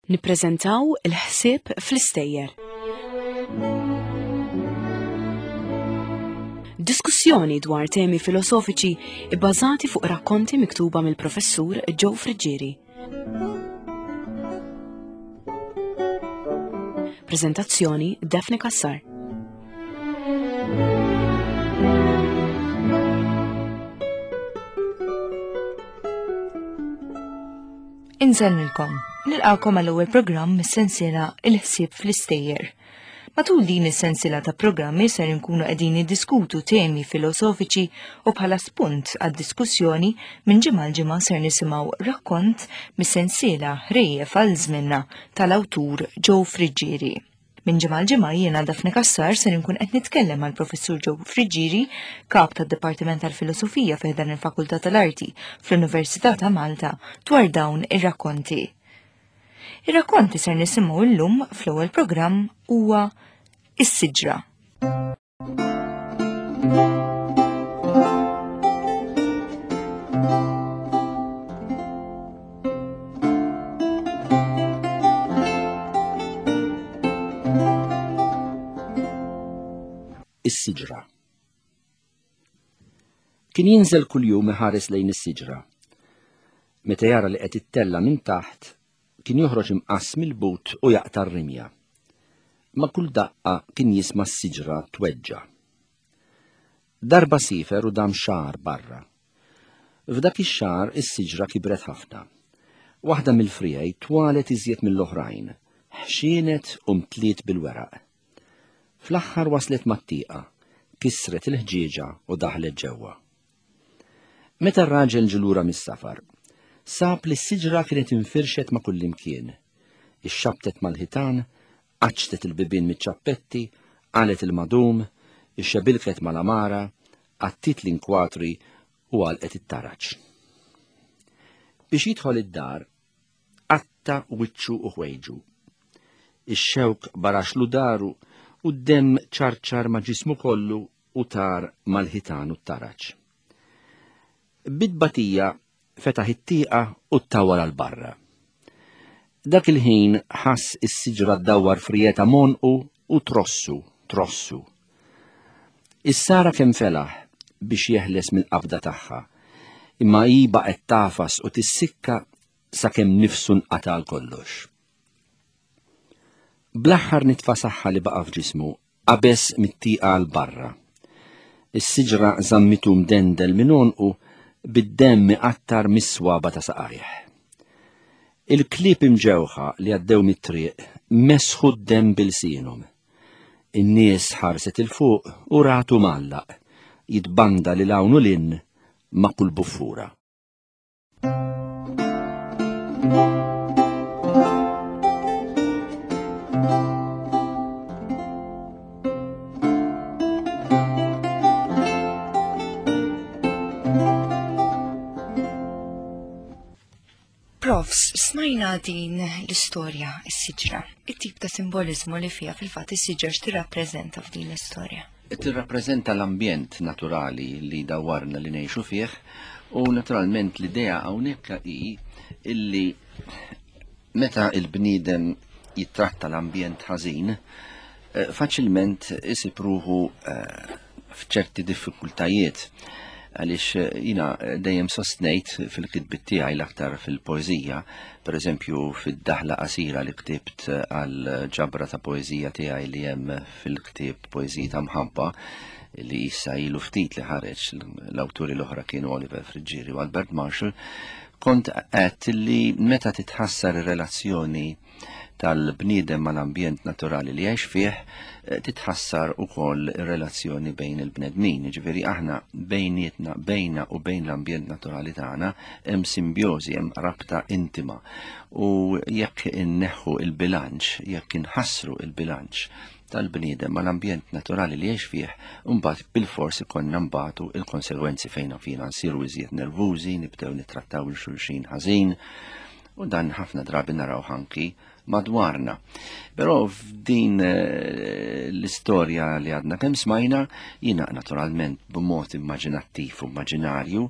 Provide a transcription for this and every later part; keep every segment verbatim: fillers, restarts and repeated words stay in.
Nippreżentaw il-ħsieb fl-istejjer. Diskussjoni dwar temi filosofiċi ibbażati fuq rakkonti miktuba mill-professur Joe Friggieri. Prezentazzjoni Daphne Cassar. Insellmilkom, nilqakom għall-ewwel programm mis-sensiela Il-ħsieb fl-istejjer. Matul din is-sensiela ta' programmi ser inkunu qegħdin niddiskutu temi filosofiċi u bħala spunt għad-diskussjoni minn ġimgħa l ġimgħa ser nisimgħu rakkont mis-sensiela Ħrejjef għal żminna tal-awtur Joe Friggieri. Minn ġimgħa l ġimgħa jiena Daphne Cassar ser inkun qed nitkellem mal professur Joe Friggieri, kap tad-Dipartiment tal-Filosofija fi dan il-Fakultà tal-Arti fl-Università ta' Malta dwar dawn ir-rakkonti. Ir-rakkonti ser nisimgħu llum fl-ewwel programm huwa Is-Siġra. Is-siġra. Kien jinżel kuljum iħares lejn is-siġra. Meta jara li qed ittella' minn taħt, kien joħroġ imqass mill-but u jaqta' r-rimja. Ma' kull daqqa kien jisma' s-siġra tweġġa'. Darba sifer u dam xahar barra. F'dak ix-xahar is-siġra kibret ħafna. Waħda mill-friegħi twalet iżjed mill-oħrajn, ħxienet u mtliet bil-weraq. Fl-aħħar waslet mat-tieqa, kisret il-ħġieġa u daħlet ġewwa. Meta r-raġel ġie lura mis-safar, sab li s-siġra kienet infirxet ma' kullimkien. Ixxabtet mal-ħitan, qaċċtet il-bibien miċ-ċappetti, qalet il-madum, ixxebilket mal-amara, għattiet l-inkwatri u għalqet it-taraġ. Biex jidħol id-dar, qatta' wiċċu u ħwejġu. Ix-xewk baraxlu daru u d-demm ċarċar ma' ġismu kollu u tar mal-ħitan u t-taraġ. Bit-tbatija fetaħ it-tieqa u ttawwal għal barra. Dak il-ħin ħass is-siġra ddawwar friegħetha m'għonqu u trossu, trossu. Issara kemm felaħ biex jeħles mill-qabda tagħha, imma hi baqgħet tagħfas u tissikka sakemm nifsu nqata' għal kollox. Bl-aħħar nitfa' saħħa li baqa' f'ġismu, qabeż mit-tieqa għal barra. Is-siġra żammitu mdendel minn għonqu bid-demm iqattar mis-swaba ta' saqajh. Il-klieb imġewħa li għaddew mit-triq mesħu d-demm bilsienhom. In-nies ħarset 'il fuq u ratu mgħallaq, jitbanda lil hawn u 'l hinn ma' kull buffura. Profs, smajna din l-istorja, is-siġra. It-tip ta' simbolizmu li fija fil-fatt is-siġra x'tirrappreżenta f'din l-istorja? Tirrappreżenta l-ambjent naturali li dawwarna li ngħixu fih u naturalment l-idea hawnhekk hi illi meta il-bniedem jittratta l-ambjent ħażin, eh, faċilment isib ruħu eh, f'ċerti diffikultajiet. Għaliex eh, jina dejjem sostnejt fil-kitbit tiegħi l-aktar fil-poeżija, per eżempju fid-daħla qasira li ktibt għal ġabra ta' poeżija tiegħi li hemm fil-ktieb Poeżiji ta' Mħabba, li issa ilu ftit li ħareġ, l-awturi l-oħra kienu Oliver Friggieri u Albert Marshall, kont għedt li meta titħassar ir-relazzjoni tal-bniedem mal-ambjent naturali li jgħix fih, eh, titħassar ukoll ir-relazzjoni bejn il-bnedmin. Jiġifieri aħna bejnietna, bejna u bejn l-ambjent naturali tagħna hemm simbjożi, hemm rabta intima. U jekk inneħħu il-bilanċ, jekk inħassru il-bilanċ tal-bniedem mal-ambjent naturali li jgħix fih, mbagħad bil-fors ikollna nbatu il-konsegwenzi fejn fina nsiru iżjed nervużi, nibdew nittrattaw il xulxin ħażin, u dan ħafna drabi naraw anki madwarna. Però f'din, eh, l-istorja li għadna kemm smajna, jiena naturalment b'mod immaġinattiv u immaġinarju,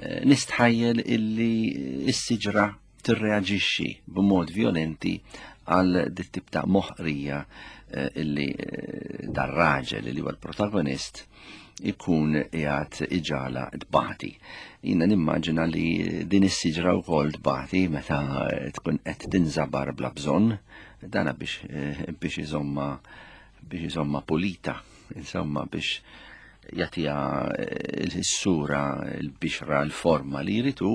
eh, nistħajjel illi s-siġra tirreaġixxi b'mod violenti għal dit tip ta' moħqrija eh, illi eh, dar-raġel li huwa l-protagonist ikun qiegħed iġala tbati. Jiena nimmaġina li din is-siġra wkoll tbati meta tkun qed tinżabar bla bżonn, dana biex eh, biex iżomma biex iżomma pulita, insomma biex jagħtiha s-sura, l-bixra, l-forma li jridu,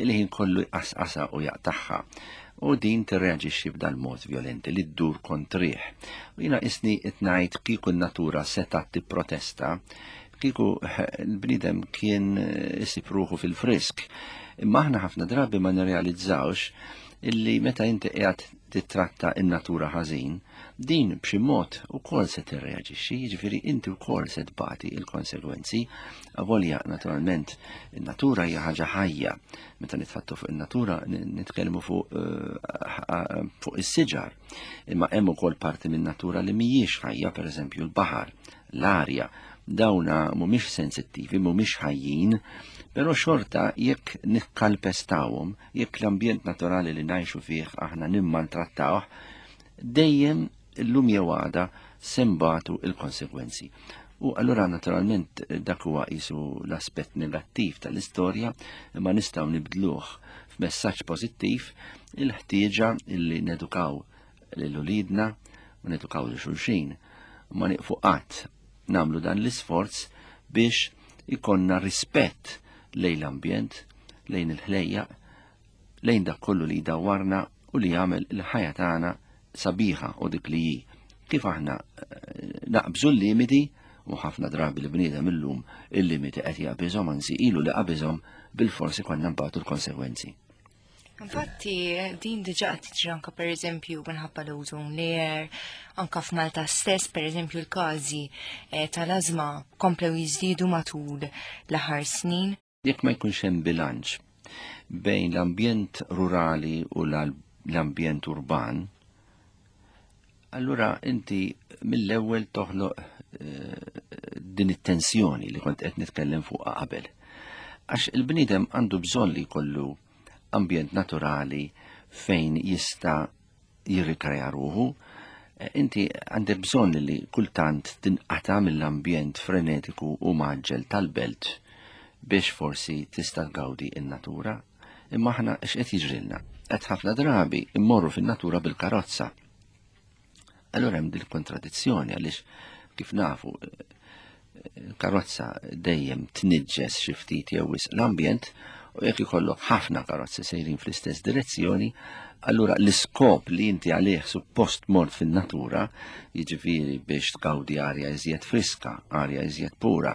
li ħin kollu jqasqasha u jaqtagħha. U din tirreaġixxi b'dal mod violenti li ddur kontrih. U jiena isni qed ngħid kieku n-natura setgħet tipprotesta, kieku l-bniedem kien isib ruħu fil-frisk. Imma aħna ħafna drabi ma nirrealizzawx illi meta inti qiegħed titratta in-natura ħażin, din b'xi mod ukoll se tirreaġixxi, jiġifieri inti wkoll se tbati il-konsegwenzi. Avolja naturalment in-natura hija ħaġa ħajja. Meta nitħattu fuq in-natura nitkellmu fuq eh, fuq is-siġar. Imma hemm ukoll parti min-natura li mhijiex ħajja, pereżempju l-baħar, l-arja. Dawna mhumiex sensittivi, mhumiex ħajjin, però xorta jekk nikkalpestawhom, jekk l-ambjent naturali li ngħixu fih aħna nimmaltrattawh, dejjem illum jew għada se nbatu il-konsegwenzi. U allura naturalment dak huwa qisu l-aspett negattiv tal-istorja, imma nistgħu nibdluh f'messaġġ pożittiv, il-ħtieġa illi nedukaw lil uliedna u nedukaw lil xulxin. Ma nieqfu qatt nagħmlu dan l-isforz biex ikonna rispett lejn l-ambjent, lejn il-ħlejjaq, lejn dak kollu li jdawwarna u li jagħmel il-ħajja tagħna sabiħa u dik li hi. Kif aħna eh, naqbżu l-limiti, u ħafna drabi l-bniedem illum il-limiti qed jaqbiżhom, anzi ilu li qabiżhom, bil-forsi konna nbatu l-konsegwenzi. Infatti, din diġa qed tiġri anka pereżempju minħabba l-ozone layer, anka f'Malta stess, pereżempju l-każi eh, tal-ażma komplew jiżdiedu matul l-aħħar snin. Jekk ma jkunx hemm bilanċ bejn l-ambjent rurali u l-ambjent urban, allura inti mill-ewwel toħloq eh, din it-tensjoni li kont qed nitkellem fuqha qabel. Għax il-bniedem għandu bżonn li jkollu ambjent naturali fejn jista' jirrikreja ruħu. Inti għandek bżonn li kultant tinqata' mill-ambjent frenetiku u maġġel tal-belt biex forsi tista' tgawdi in-natura. Imma aħna x'qed jiġrilna? Qed ħafna drabi immorru fin-natura bil-karozza. Allura hemm din kontradizzjoni għaliex kif nafu il-karozza dejjem tniġġes xi ftit jew wisq l-ambjent, u jekk ikollok ħafna karozzi sejrin fl-istess direzzjoni, allura l-iskop li inti għalih suppost mort fin-natura, jiġifieri biex tgawdi arja iżjed friska, arja iżjed pura,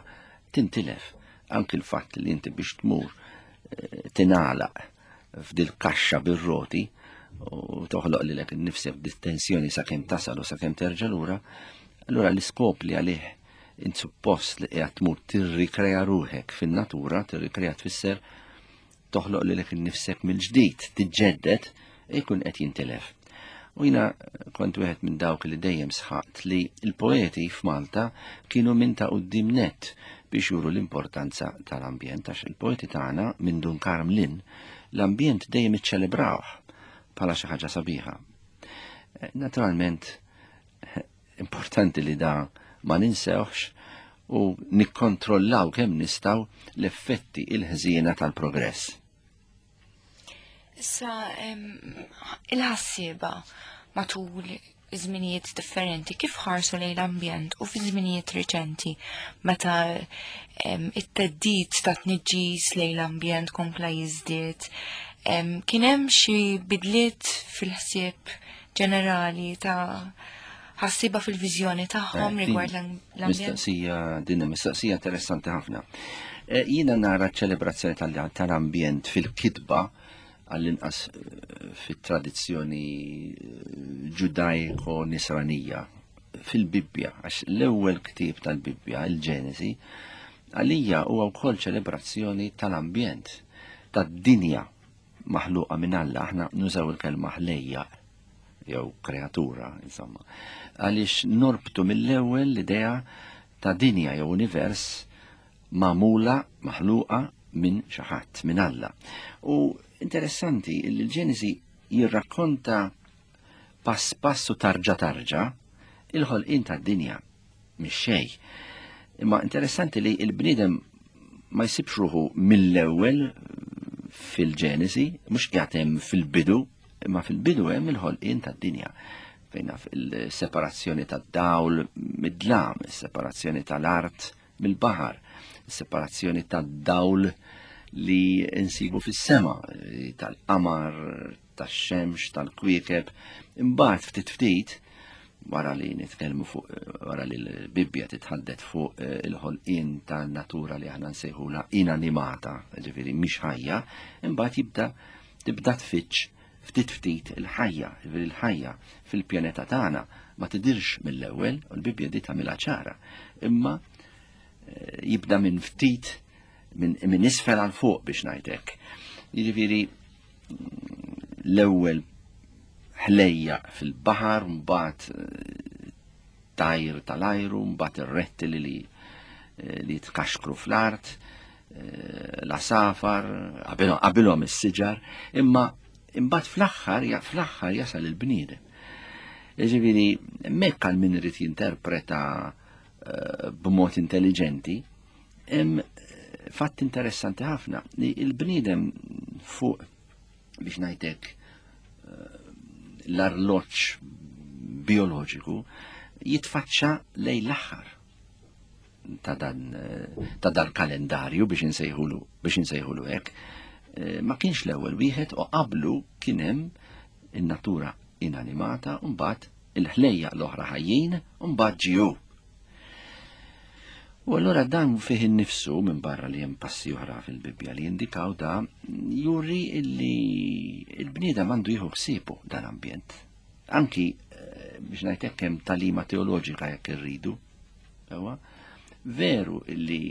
tintilef. Anki l-fatt li inti biex tmur eh, tingħalaq f'dil kaxxa bir-roti u toħloq lilek innifsek dit-tensjoni sakemm tasal u sakemm terġa' lura, allura l-iskop li għalih int suppost li qiegħed tmur tirrikrea ruħek fin-natura, tirrikrea tfisser toħloq lilek innifsek mill-ġdid, tiġġedded, ikun qed jintilef. U jiena kont wieħed minn dawk li dejjem sħaqt li l-poeti f'Malta kienu minn ta' quddiem nett biex juru l-importanza tal-ambjent, għax il-poeti tagħna minn Dun Karmlin l-ambjent dejjem iċċelebrawh bħala xi ħaġa sabiħa. Naturalment, importanti li da ma ninsewx u nikkontrollaw kemm nistgħu l-effetti il-ħżiena tal-progress. Issa, il-ħassieba matul żminijiet differenti, kif ħarsu lejn l-ambjent u fi żminijiet riċenti meta it-theddid ta' tniġġis lejn l-ambjent kompla jiżdied, kien hemm xi bidliet fil-ħsieb ġenerali ta' ħassieba fil-viżjoni tagħhom Eh, rigward din l-ambjent? Mistoqsija, din mistoqsija interessanti ħafna. Eh, Jiena nara ċelebrazzjoni tal-ambjent fil-kitba għall-inqas eh, fit-tradizzjoni ġudajko-nisranija fil-Bibbja, għax l-ewwel ktieb tal-Bibbja, il-Ġenesi, għalija huwa wkoll ċelebrazzjoni tal-ambjent, tad-dinja maħluqa minn Alla. Aħna nużaw il-kelma ħlejja jew kreatura, insomma, għaliex norbtu mill-ewwel l-idea ta' dinja jew univers magħmula, maħluqa minn xi ħadd, minn Alla. U Interessanti li l-Ġenesi jirrakkonta pass passu tarġa tarġa il-ħolqien tad-dinja mhix xejn. Imma interessanti li l-bniedem ma jsibx ruħu mill-ewwel fil-Ġenesi, mhux qiegħed hemm fil-bidu, imma fil-bidu hemm il-ħolqien tad-dinja. Fejn naf il-separazzjoni tad-dawl mid-dlam, il-separazzjoni tal-art mill-baħar, il-separazzjoni tad-dawl li nsibu fis-sema, tal-qamar, tax-xemx, tal-kwiekeb. Imbagħad ftit ftit wara li nitkellmu fuq, wara li l-Bibbja titħaddet fuq il-ħolqien tan-natura li aħna nsejħula inanimata, ġifieri mhix ħajja, imbagħad jibda tibda tfittx ftit ftit il-ħajja, ġifieri il-ħajja fil-pjaneta tagħna ma tidirx mill-ewwel, u l-Bibbja di tagħmilha ċara, imma jibda minn ftit minn min isfel għal fuq biex ngħidlek. Jiġifieri l-ewwel ħlejja fil-baħar, mbagħad tajr tal-ajru, mbagħad ir-rettili li li jitkaxkru fl-art, l-asafar, qabilhom is-siġar, imma imbagħad fl-aħħar fl-aħħar jasal il-bniedem. Jiġifieri hemmhekk għal min irid jinterpreta b'mod intelligenti, hemm fatt interessanti ħafna li l-bniedem fuq biex ngħidlek l-arloġġ bioloġiku jitfaċċa lejn l-aħħar ta' dan ta' dal kalendarju biex insejħulu biex insejħulu hekk. Ma kienx l-ewwel wieħed u qablu kien hemm in-natura inanimata u mbagħad il-ħlejja l-oħra ħajjin u mbagħad ġew. U allura dan fih innifsu minn barra li hemm passi oħra fil-Bibbja li jindikaw da juri illi il-bniedem għandu jieħu ħsiebu dan ambjent. Anki biex ngħid hemm talima teoloġika jekk irridu. Ewa, veru illi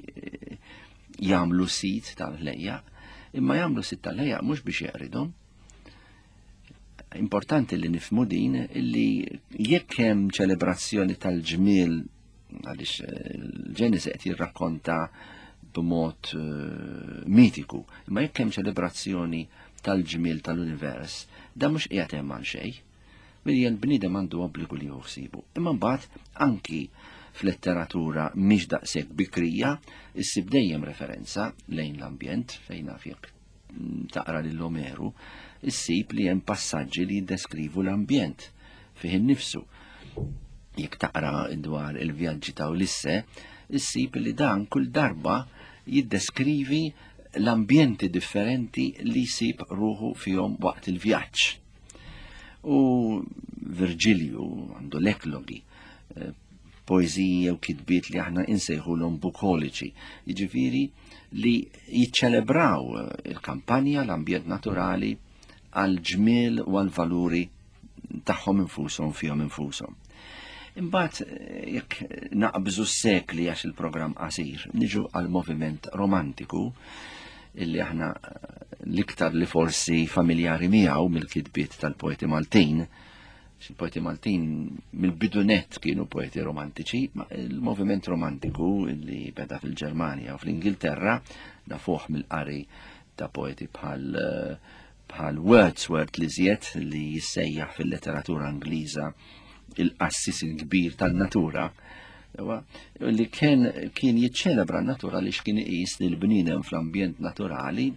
jagħmlu sit tal-ħlejja, imma jagħmlu sit tal-ħlejja mhux biex jeqridhom. Importanti li nifhmu din illi jekk hemm ċelebrazzjoni tal-ġmiel, għaliex il-Ġenesi qed jirrakkonta b'mod mitiku, imma jekk hemm ċelebrazzjoni tal-ġmiel tal-univers, dan mhux qiegħed hemm għal xejn. Billi l-bniedem għandu obbligu li jħossibu. Imma mbagħad anki fl-letteratura mhix daqshekk bikrija, issib dejjem referenza lejn l-ambjent, fejn naf jekk taqra lil Omeru, issib li hemm passaġġi li jiddeskrivu l-ambjent fih innifsu. Jekk taqra dwar il-vjaġġi ta' Ulisse, issib li dan kull darba jiddeskrivi l-ambjenti differenti li jsib ruħu fihom waqt il-vjaġġ. U Virgilju għandu l-eklogi, poeżiji u kitbiet li aħna insejħulhom bukoliċi, jiġifieri li jiċċelebraw il-kampanja, l-ambjent naturali għal ġmiel u għal valuri tagħhom infushom fihom infushom. Imbagħad jekk naqbżu s-sekli għax il-programm qasir, niġu għal moviment romantiku illi aħna l-iktar li forsi familjari miegħu mill-kitbiet tal-poeti Maltin. Il-poeti Maltin mill-bidunet kienu poeti romantiċi, ma il-moviment romantiku li beda fil-Ġermanja u fl-Ingilterra nafuh mill-qari ta' poeti bħal bħal Wordsworth li żjed li jissejjaħ fil-letteratura Ingliża il-qassis il-kbir tan-natura, li kien kien jiċċelebra n-natura li x'kien iqis li l-bniedem fl-ambjent naturali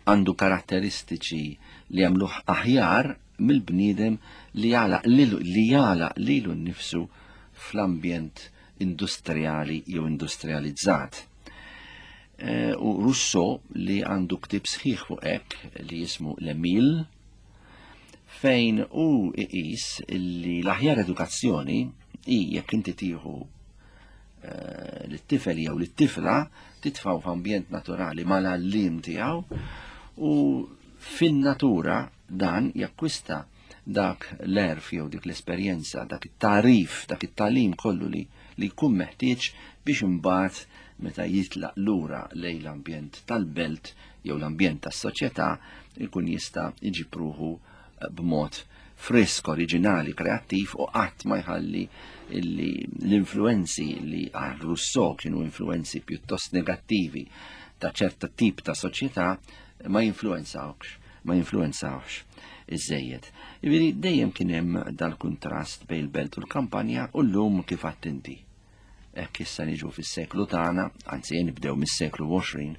għandu karatteristiċi li jagħmluh aħjar mill-bniedem li jagħlaq li jagħlaq lilu nnifsu fl-ambjent industrijali jew industrializzat. U Rousseau li għandu ktieb sħiħ fuq hekk li jismu L'Emile, fejn hu iqis li l-aħjar edukazzjoni hi jekk inti tieħu lit-tifel jew lit-tifla titfgħu f'ambjent naturali mal-għalliem tiegħu u fin-natura dan jakkwista dak l-erf jew dik l-esperjenza, dak it-tarif, dak it-talim kollu li li jkun meħtieġ biex imbagħad meta jitlaq lura lejn l-ambjent tal-belt jew l-ambjent tas-soċjetà jkun jista' jġib ruħu b'mod frisk, oriġinali, kreattiv u qatt ma jħalli li l-influenzi li għal Rousseau kienu influenzi pjuttost negattivi ta' ċerta tip ta' soċjetà ma jinfluenzawx, ma jinfluenzawx iżejjed. Jiġifieri dejjem kien hemm dal-kuntrast bejn il-belt u l-kampanja u llum kif inti. Hekk issa niġu fis-seklu tagħna, anzi nibdew mis-seklu għoxrin,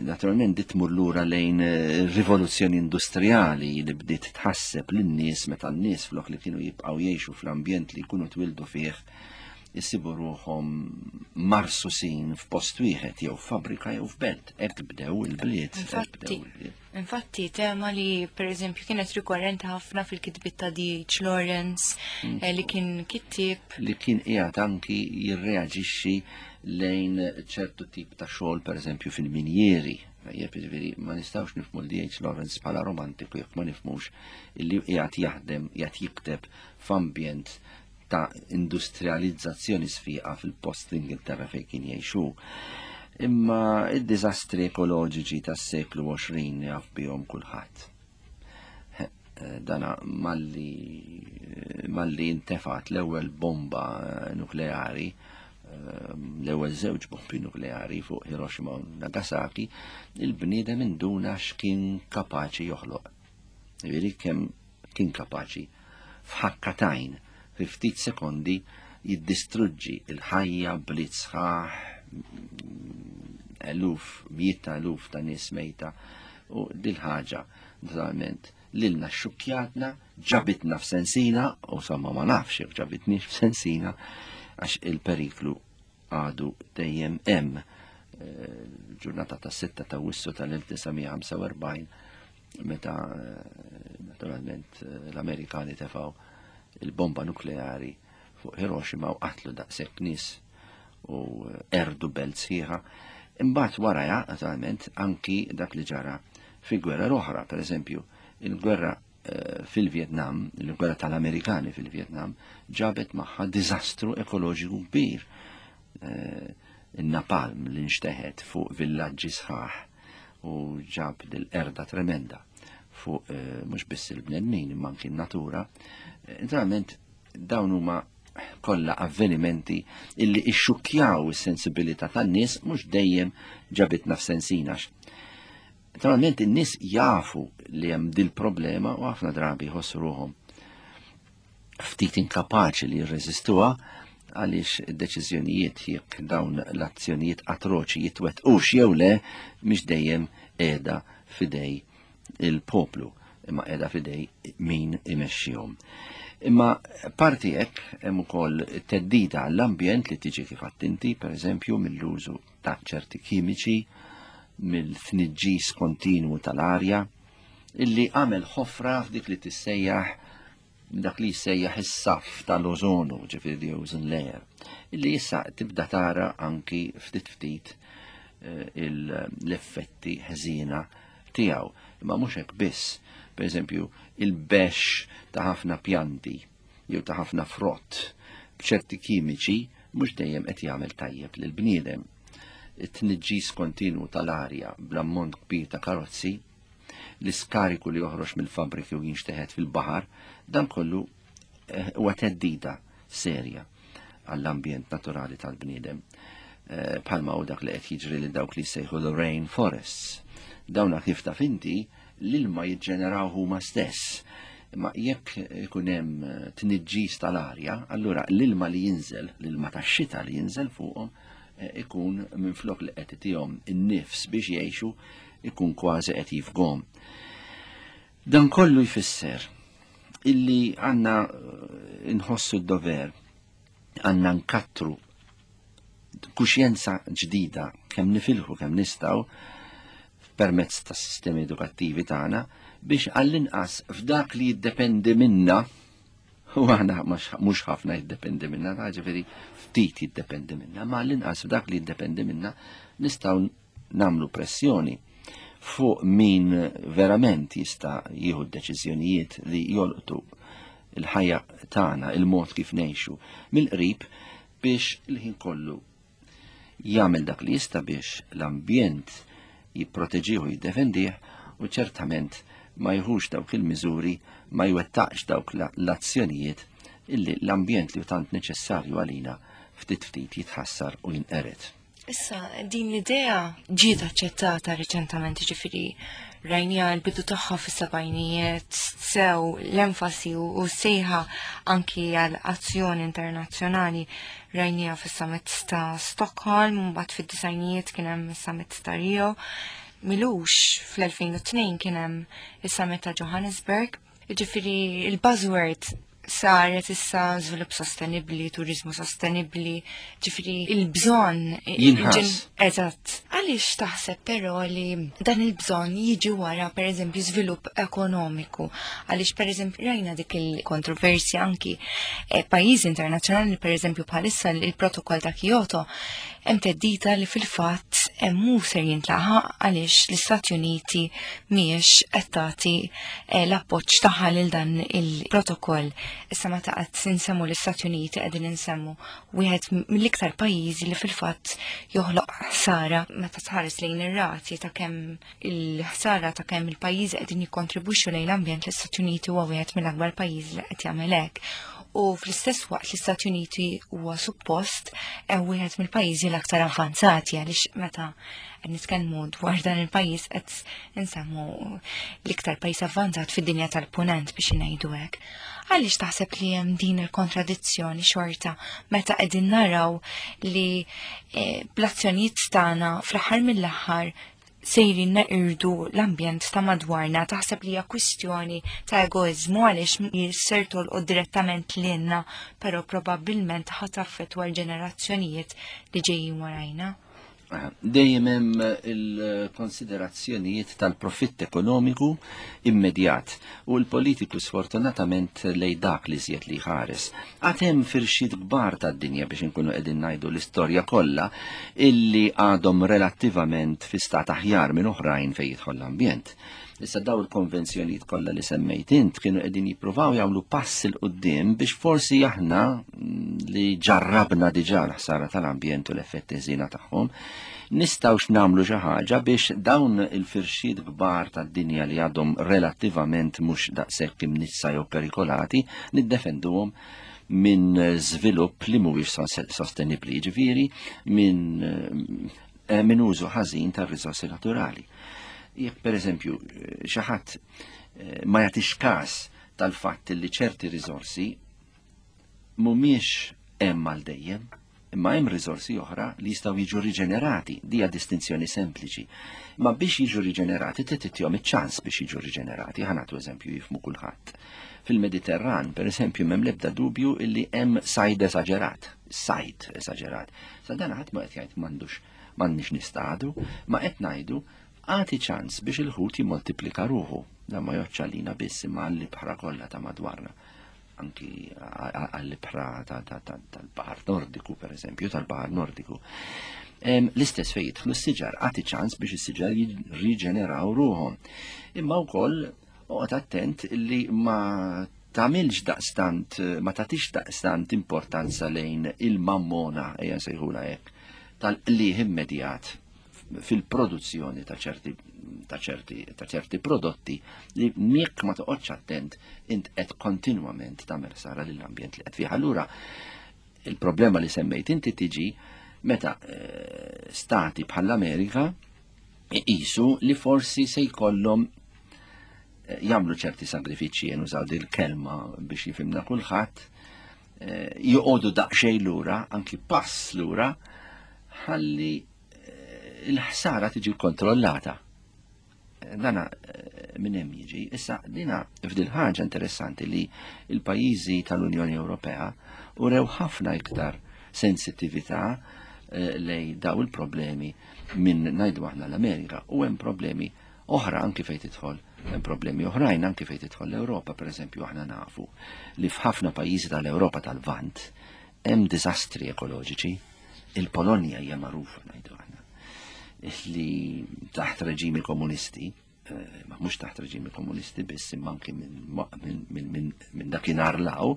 naturalment dit tmur lura lejn rivoluzzjoni industrijali li bdiet tħasseb lin-nies meta n-nies flok li kienu jibqgħu jgħixu fl-ambjent li jkunu twildu fih jisibu ruħhom marsusin f'post wieħed jew fabbrika jew f'belt. Hekk bdew il-bliet. Infatti, infatti tema li per eżempju kienet rikorrenti ħafna fil-kitbiet ta' D H Lawrence, mm. li kien kittieb. Li kien qiegħed anki jirreaġixxi lejn ċertu tip ta' xogħol, per eżempju fil-minjieri. Jiġifieri ma nistgħux nifhmu D H Lawrence bħala romantiku jekk ma nifhmux illi qiegħed jaħdem, qiegħed jikteb f'ambjent ta' industrializzazzjoni sfiqa fil-post l-Ingilterra fejn kien jgħixu. Imma id-diżastri ekoloġiċi tas-seklu għoxrin jaf bihom kulħadd. Dana malli, malli intefat l-ewwel bomba nukleari, l-ewwel żewġ bombi nukleari fuq Hiroshima u Nagasaki, il-bniedem induna x'kien kapaċi joħloq. Jiġifieri kemm kien kapaċi f'ħakkatajn fi ftit sekondi jiddistruġġi il-ħajja bliet sħaħ, eluf, mijiet ta' eluf ta' nies mejta, u dil-ħaġa naturalment lilna xukjatna, ġabitna f'sensina, u somma ma nafx jekk ġabitniex f'sensina, għax il-periklu għadu dejjem hemm. Ġurnata ta' sitta ta' Awwissu tal-elf tisa' mija ħamsa u erbgħin, meta naturalment l-Amerikani tefgħu il-bomba nukleari fuq Hiroshima u qatlu daqshekk nies u erdu belt sħiħa. Imbagħad waraja, naturalment, anki dak li ġara fi gwerra l-oħra, per eżempju, il-gwerra fil-Vietnam, il-gwerra tal-Amerikani fil-Vietnam, ġabet magħha diżastru ekoloġiku kbir. Il-napalm li nxteħet fuq villaġġi sħaħ u ġab dil-erda tremenda fuq mhux biss il-bnedmin imma anki n-natura. Naturalment dawn huma kollha avvenimenti illi ixxukkjaw is-sensibilità tan-nies, mhux dejjem ġabitna f'sensina. Naturalment in-nies jafu li hemm dil-problema u ħafna drabi jħossu ruħhom ftit inkapaċi li jirreżistuha għaliex id-deċiżjonijiet jekk dawn l-azzjonijiet atroċi jitwettqux jew le mhix dejjem qiegħda f'idej il-poplu, imma qiegħda f'idej min imexxihom. Imma parti hekk hemm ukoll theddida għall-ambjent li tiġi kif għadt inti, pereżempju mill-użu ta' ċerti kimiċi, mill-tniġġis kontinwu tal-arja, illi għamel ħofra f'dik li tissejjaħ dak li jissejjaħ is-saff tal-ożonu, ġifieri the ozone layer, illi issa tibda tara anki ftit ftit, eh, l-effetti ħżiena tiegħu. Imma mhux hekk biss, pereżempju il-bexx ta' ħafna pjanti jew ta' ħafna frott b'ċerti kimiċi mhux dejjem qed jagħmel tajjeb lill-bniedem. It-tniġġis kontinwu tal-arja bl-ammont kbir ta' karozzi, l-iskariku li joħroġ mill-fabbriki u jinxteħet fil-baħar, dan kollu, eh, huwa theddida serja għall-ambjent naturali tal-bniedem. Eh, bħalma hu dak li qed jiġri lil dawk li jsejħu the rain forests. Dawna kif taf inti l-ilma jiġġeneraw huma stess. Imma jekk ikun hemm tniġġis tal-arja, allura l-ilma li jinżel, l-ilma tax-xita li jinżel fuqhom, eh, ikun minflok li qed itihom in-nifs biex jgħixu, ikun kważi qed jifghom. Dan kollu jfisser illi għandna, eh, nħossu d-dover, għandna nkattru kuxjenza ġdida kemm nifilħu kemm nistgħu permezz tas sistemi edukattivi tagħna biex għall-inqas f'dak li jiddependi minna, u aħna mhux ħafna jiddependi minna, ġifieri ftit jiddependi minna, ma għall-inqas f'dak li jiddependi minna nistgħu nagħmlu pressjoni fuq min verament jista' jieħu d-deċiżjonijiet li jolqtu il-ħajja tagħna, il-mod kif ngħixu mill-qrib, biex il-ħin kollu jagħmel dak li jista' biex l-ambjent jipproteġih u jiddefendih, u ċertament ma jħux dawk il-miżuri, ma jwettaqx dawk la-, l-azzjonijiet illi l-ambjent li hu tant neċessarju għalina ftit ftit jitħassar u jinqered. Issa, din l-idea ġiet aċċettata riċentament, ġifieri rajnija l-bidu tagħha fis-sebgħinijiet, sew l-enfasi u sejħa anki għal azzjoni internazzjonali rajnija fis-summit ta' Stockholm, u mbagħad fid-disgħinijiet kien hemm is-summit ta' Rio. M'ilux fl-elfejn u tnejn kien hemm is-summit ta' Johannesburg. Ġifieri il-buzzword saret issa żvilupp sostenibbli, turizmu sostenibbli, ġifieri il-bżonn Jinħass. Eżatt. Għaliex taħseb però li dan il-bżonn jiġi wara pereżempju żvilupp ekonomiku? Għaliex pereżempju rajna dik il-kontroversja anki, eh, pajjiżi internazzjonali, pereżempju bħalissa il-protokoll ta' Kyoto hemm teddita li fil-fatt mhu ser jintlaħaq għaliex l-Istati Uniti mhijiex qed tagħti, eh, l-appoġġ tagħha lil dan il-protokoll. Issa meta qed insemmu l-Istati Uniti qegħdin insemmu wieħed mill-iktar pajjiżi li fil-fatt joħloq ħsara meta tħares lejn ir-rati ta' kemm il-ħsara ta' kemm il-pajjiżi qegħdin jikkontribwixxu lejn l-ambjent, l-Istati Uniti huwa wieħed mill-akbar pajjiżi li qed jagħmel hekk. U fl-istess waqt l-Istati Uniti huwa suppost wieħed mill-pajjiżi l-aktar avvanzati, għaliex meta qed nitkellmu dwar dan il-pajjiż qed insemmu l-iktar pajjiż avvanzat fid-dinja tal-punent biex ngħidu hekk. Għaliex taħseb li hemm din il-kontradizzjoni xorta meta qegħdin naraw li, eh, bl-azzjonijiet tagħna fl-aħħar mill-aħħar sejrin neqirdu l-ambjent ta' madwarna? Taħseb li hija kwistjoni ta' egoizmu għaliex ser tolqot direttament lilna, però probabbilment ħa taffettwa l-ġenerazzjonijiet li ġejjin warajna? Dejjem hemm il-konsiderazzjonijiet tal-profitt ekonomiku immedjat u l-politiku sfortunatament lej dak li żjed li ħares. Għad hemm firxiet kbar tad-dinja biex inkunu qegħdin ngħidu l-istorja kollha illi għadhom relattivament fi stat aħjar minn oħrajn fejn jidħol l-ambjent. Issa daw il-konvenzjonijiet kollha li semmejt int kienu qegħdin jippruvaw jagħmlu pass il quddiem biex forsi aħna li ġarrabna diġà l-ħsara tal-ambjent u l-effetti ħżiena tagħhom nistgħux nagħmlu xi ħaġa biex dawn il-firxiet kbar tad-dinja li għadhom relattivament mhux daqshekk imnissa jew perikolati niddefenduhom minn żvilupp li mhuwiex sostenibbli, jiġifieri minn, eh, minn użu ħażin tar-riżorsi naturali. Jekk pereżempju xi ħadd, eh, ma jagħtix każ tal-fatt li ċerti riżorsi mhumiex hemm għal dejjem, imma hemm riżorsi oħra li jistgħu jiġu riġenerati, dija distinzjoni sempliċi. Ma biex jiġu riġenerati trid titihom iċ-ċans biex jiġu riġenerati, ħa nagħtu eżempju jifhmu kulħadd. Fil-Mediterran, per eżempju, m'hemm l-ebda dubju illi hemm sajd esaġerat, sajd esaġerat. Sa dan ħadd ma qed jgħid m'għandux, m'għandniex nistadu, ma qed ngħidu għati ċans biex il-ħut jimmultiplika ruħu. Dan ma joċċa lina biss imma għall-ibħra kollha ta' madwarna, anki għall-ibħra ta', ta', ta', tal-Baħar Nordiku, per eżempju, tal-Baħar Nordiku. Em, l-istess fejn jidħlu s-siġar, għati ċans biex is-siġar jirriġeneraw ruħhom. Imma wkoll oqgħod attent li ma tagħmilx daqstant, ma tagħtix daqstant importanza lejn il-mammona, ejja nsejħulha hekk, tal-qligħ immedjat fil-produzzjoni ta' ċerti, ta' ċerti, ta' ċerti prodotti li jekk ma toqgħodx attent int qed kontinwament tagħmel ħsara lill-ambjent li qed fih. Allura il-problema li semmejt inti tiġi meta, eh, stati bħall-Amerika iqisu li forsi se jkollhom, eh, jagħmlu ċerti sagrifiċċji, nużaw din il-kelma biex jifhimna kulħadd, eh, joqogħdu daqsxejn lura, anki pass lura, ħalli il-ħsara tiġi kontrollata. Dana, eh, minn hemm jiġi. Issa dina f'dil ħaġa interessanti li l-pajjiżi tal-Unjoni Ewropea urew ħafna iktar sensittività, eh, lej daw il-problemi minn ngħidu aħna l-Amerika, u hemm problemi oħra anki fejn tidħol, hemm problemi oħrajn anki fejn tidħol l-Ewropa. Per eżempju, aħna nafu li f'ħafna pajjiżi tal-Ewropa tal-Lvant hemm diżastri ekoloġiċi. Il-Polonja hija magħrufa, ngħidu aħna, li taħt reġimi komunisti, eh, ma mhux taħt reġimi komunisti biss, imma anki minn, minn, minn, minn, minn dakinhar law,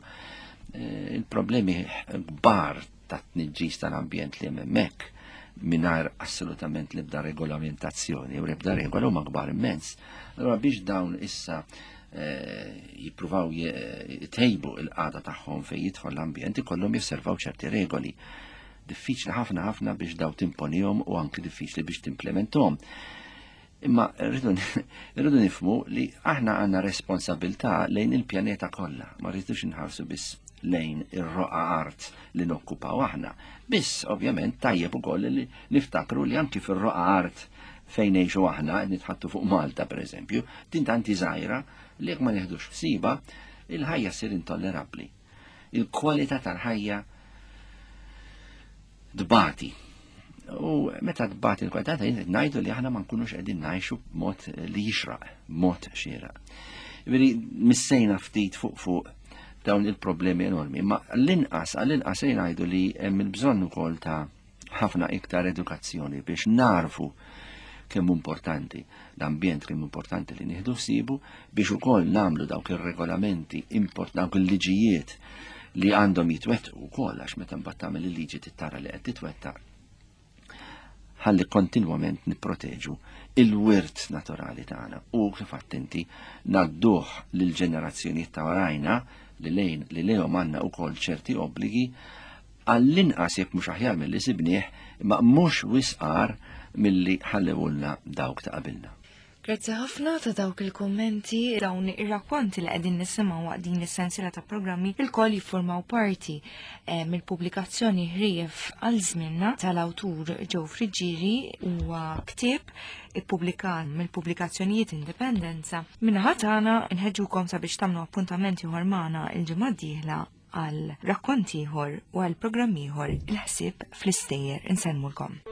eh, il-problemi kbar ta' tniġġis tal-ambjent li hemm hemmhekk mingħajr assolutament l-ebda regolamentazzjoni u l-ebda regola huma kbar immens. Allura biex dawn issa, eh, jippruvaw je-, jtejbu il-qagħda tagħhom fejn jidħol l-ambjent, ikollhom josservaw ċerti regoli. Diffiċli ħafna ħafna biex daw timponihom u anki diffiċli biex timplementhom. Imma rridu nifhmu li aħna għandna responsabilità lejn il-pjaneta kollha, ma rridux inħarsu biss lejn ir-roqa art li nokkupaw aħna. Biss ovvjament tajjeb ukoll li niftakru li anki fir-roqa art fejn ngħixu aħna, qed nitħattu fuq Malta pereżempju, din tanti żgħira li jekk ma neħdux ħsieba, il-ħajja ssir intollerabbli. Il-kwalità tal-ħajja tbati. U meta tbati l-kwalità ta' ngħidu li aħna ma nkunux qegħdin ngħixu b'mod li jixraq, b'mod xieraq. Veri missejna ftit fuq fuq dawn il-problemi enormi, ma l-inqas għall-inqas ngħidu li hemm il-bżonn ukoll ta' ħafna iktar edukazzjoni biex narfu kemm importanti l-ambjent, kemm importanti li nieħdu ħsiebu biex ukoll nagħmlu dawk ir-regolamenti, import dawk il-liġijiet li għandhom jitwettqu wkoll, għax meta mbagħad tagħmel il-liġi tittara li qed titwettaq, ħalli kontinwament nipproteġu il-wirt naturali tagħna u kif attenti ngħadduh lill-ġenerazzjonijiet ta' warajna li lejn li lejhom għandna wkoll ċerti obbligi, għall-inqas jekk mhux aħjar milli sibnieh, imma mhux wisqar milli ħallewulna dawk ta' qabilna. Grazzi ħafna ta' dawk il-kommenti. Dawn ir-rakkonti li qegħdin nisimgħu waqt din is-sensiela ta' programmi ilkoll jiffurmaw parti eh, mill-pubblikazzjoni Ħrief għal żmienna tal-awtur Joe Friggieri, huwa ktieb ippubblikat mill-pubblikazzjonijiet Indipendenza. Min-naħa tagħna nħeġġukom sabiex tagħmlu appuntament ieħor magħna il-ġimgħa d-dieħla għal rakkont ieħor u għal programm ieħor, Il-ħsieb fl-istejjer. Insellmulkom.